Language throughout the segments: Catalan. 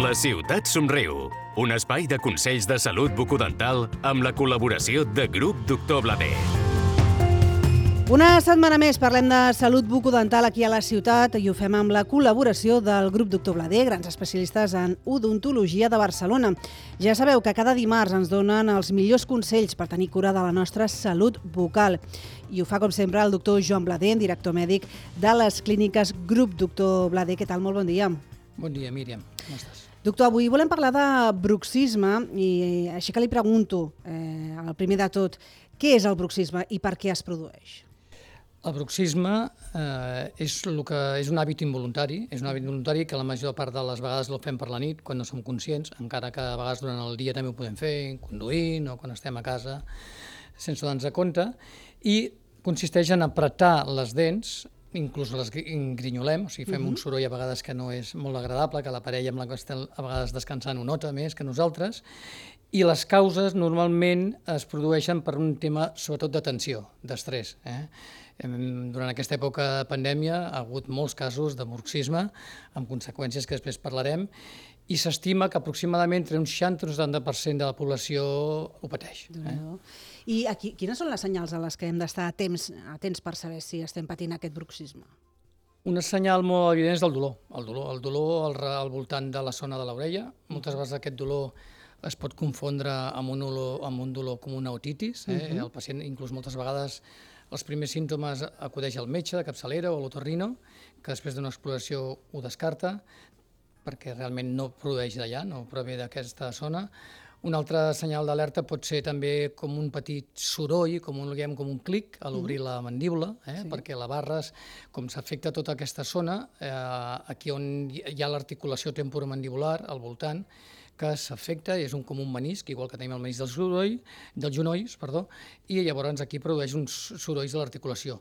La ciutat somriu, un espai de consells de salut bucodental amb la col·laboració de Grup Doctor Blader. Una setmana més parlem de salut bucodental aquí a la ciutat i ho fem amb la col·laboració del Grup Doctor Blader, grans especialistes en odontologia de Barcelona. Ja sabeu que cada dimarts ens donen els millors consells per tenir cura de la nostra salut bucal. I ho fa, com sempre, el doctor Joan Blader, director mèdic de les clíniques Grup Doctor Blader. Què tal? Molt bon dia. Bon dia, Míriam. Com estàs? Doctor, avui volem parlar de bruxisme i així que li pregunto, el primer de tot, què és el bruxisme i per què es produeix? El bruxisme és un hàbit involuntari, que la major part de les vegades el fem per la nit, quan no som conscients, encara que a vegades durant el dia també ho podem fer, conduint o quan estem a casa, sense donar-nos compte, i consisteix en apretar les dents, inclús les engrinyolem, o sigui, fem un soroll a vegades que no és molt agradable, que la parella amb la que estem a vegades descansant ho nota més que nosaltres, i les causes normalment es produeixen per un tema sobretot de tensió, d'estrès. Durant aquesta època de pandèmia ha hagut molts casos de bruxisme, amb conseqüències que després parlarem, i s'estima que aproximadament entre un 60 i un 70% de la població ho pateix. I quines són les senyals a les que hem d'estar atents per saber si estem patint aquest bruxisme? Un senyal molt evident és el dolor. El dolor al voltant de la zona de l'orella. Moltes vegades aquest dolor es pot confondre amb un dolor com una otitis. El pacient, inclús moltes vegades, els primers símptomes acudeix al metge de capçalera o a l'otorrino, que després d'una exploració ho descarta, perquè realment no produeix d'allà, no prové d'aquesta zona. Un altre senyal d'alerta pot ser també com un petit soroll, com un clic a l'obrir la mandíbula, perquè la barra, com s'afecta tota aquesta zona, aquí on hi ha l'articulació temporomandibular al voltant, que s'afecta, és com un menisc, igual que tenim el menisc dels genolls, i llavors aquí produeix uns sorolls de l'articulació.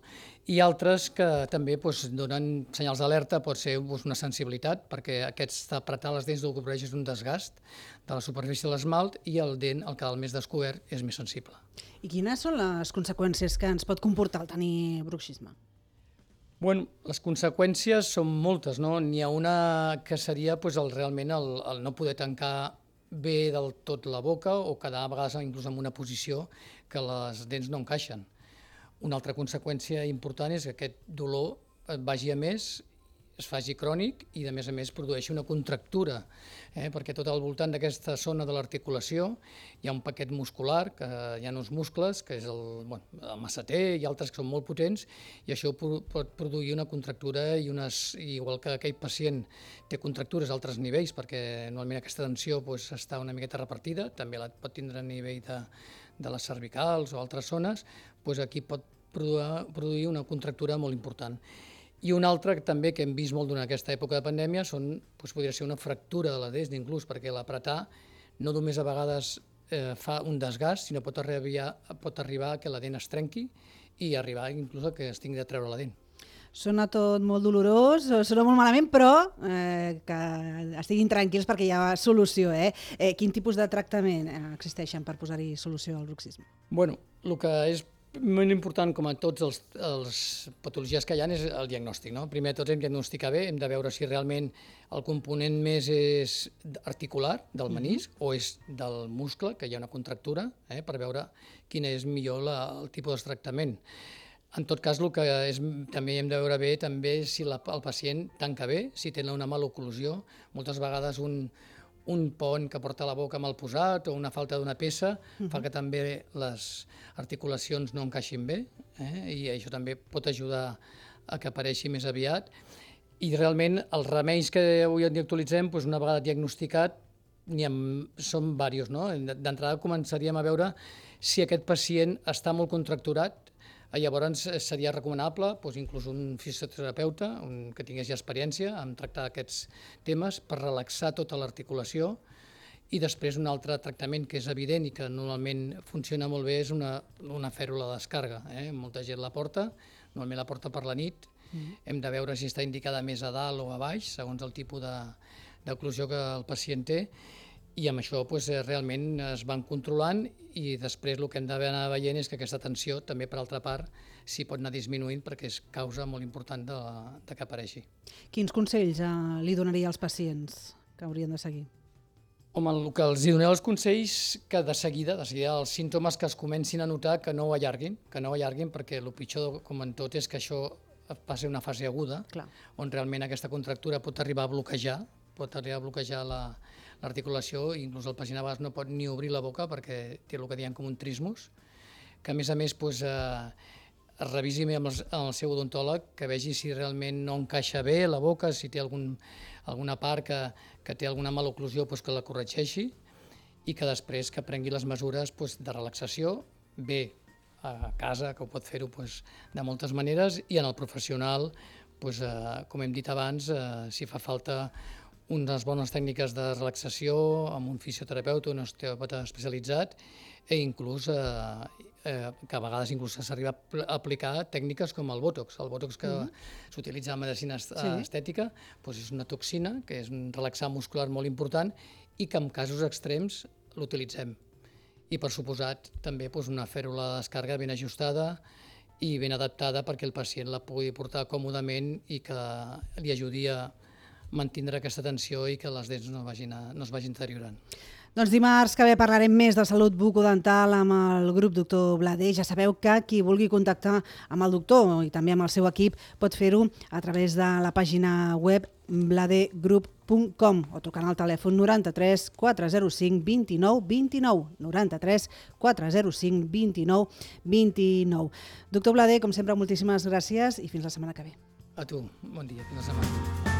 I altres que també donen senyals d'alerta, pot ser una sensibilitat, perquè apretar les dents del que produeix és un desgast de la superfície de l'esmalt i el dent, el canal més descobert, és més sensible. I quines són les conseqüències que ens pot comportar el tenir bruxisme? Bueno, les conseqüències són moltes, no? N'hi ha una que seria realment el no poder tancar bé del tot la boca o quedar a vegades inclús en una posició que les dents no encaixen. Una altra conseqüència important és que aquest dolor vagi a més, es faci crònic i, a més, produeixi una contractura, perquè tot al voltant d'aquesta zona de l'articulació hi ha un paquet muscular, que hi ha uns muscles, que és el masseter i altres que són molt potents, i això pot produir una contractura, igual que aquell pacient té contractures a altres nivells, perquè normalment aquesta tensió està una miqueta repartida, també la pot tindre a nivell de les cervicals o altres zones, aquí pot produir una contractura molt important. I una altra també que hem vist molt durant aquesta època de pandèmia podria ser una fractura de la dent, inclús perquè l'apretar no només a vegades fa un desgast, sinó pot arribar que la dent es trenqui i arribar inclús a que es tingui de treure la dent. Sona tot molt dolorós, sona molt malament, però que estiguin tranquils perquè hi ha solució. Quin tipus de tractament existeixen per posar-hi solució al bruxisme? Bueno, el que és molt important, com a tots els patologies que hi ha, és el diagnòstic. Primer de tot hem de diagnosticar bé, hem de veure si realment el component més és articular del menisc o és del muscle, que hi ha una contractura, per veure quin és millor el tipus de tractament. En tot cas, el que també hem de veure bé també si el pacient tanca bé, si té una mala oclusió. Moltes vegades un pont que porta a la boca mal posat o una falta d'una peça fa que també les articulacions no encaixin bé, i això també pot ajudar a que apareixi més aviat. I realment els remeis que avui actualitzem, una vegada diagnosticat, són diversos. D'entrada començaríem a veure si aquest pacient està molt contracturat. Llavors seria recomanable inclús un fisioterapeuta que tingués ja experiència en tractar aquests temes per relaxar tota l'articulació, i després un altre tractament que és evident i que normalment funciona molt bé és una fèrula de descàrrega. Molta gent la porta, normalment la porta per la nit. Hem de veure si està indicada més a dalt o a baix, segons el tipus d'oclusió que el pacient té. I amb això realment es van controlant i després el que hem d'anar veient és que aquesta tensió també, per altra part, s'hi pot anar disminuint perquè és causa molt important de que apareixi. Quins consells li donaria als pacients que haurien de seguir? Home, el que els doneu els consells que de seguida els símptomes que es comencin a notar que no ho allarguin, perquè el pitjor, com en tot, és que això passi una fase aguda, Clar. on realment aquesta contractura pot arribar a bloquejar, l'articulació, i inclús el pacient a vegades no pot ni obrir la boca perquè té el que diem com un trismus, que a més es revisi amb el seu odontòleg, que vegi si realment no encaixa bé la boca, si té alguna part que té alguna maloclusió, que la corregeixi, i que després que prengui les mesures de relaxació, bé a casa, que ho pot fer-ho de moltes maneres, i en el professional, com hem dit abans, si fa falta unes bones tècniques de relaxació amb un fisioterapeuta, un osteòpata especialitzat, i inclús que a vegades s'arriba a aplicar tècniques com el Botox. El Botox que s'utilitza en medicina estètica és una toxina, que és un relaxant muscular molt important i que en casos extrems l'utilitzem. I per suposat també una fèrula de descàrrega ben ajustada i ben adaptada perquè el pacient la pugui portar còmodament i que li ajudi a mantindre aquesta tensió i que les dents no es vagin deteriorant. Doncs dimarts que ve parlarem més de salut bucodental amb el grup Doctor Blader. Ja sabeu que qui vulgui contactar amb el doctor i també amb el seu equip pot fer-ho a través de la pàgina web bladergroup.com o trucant al telèfon 93 405 29 29, 93 405 29 29. Doctor Blader, com sempre, moltíssimes gràcies i fins la setmana que ve. A tu, bon dia, fins la setmana.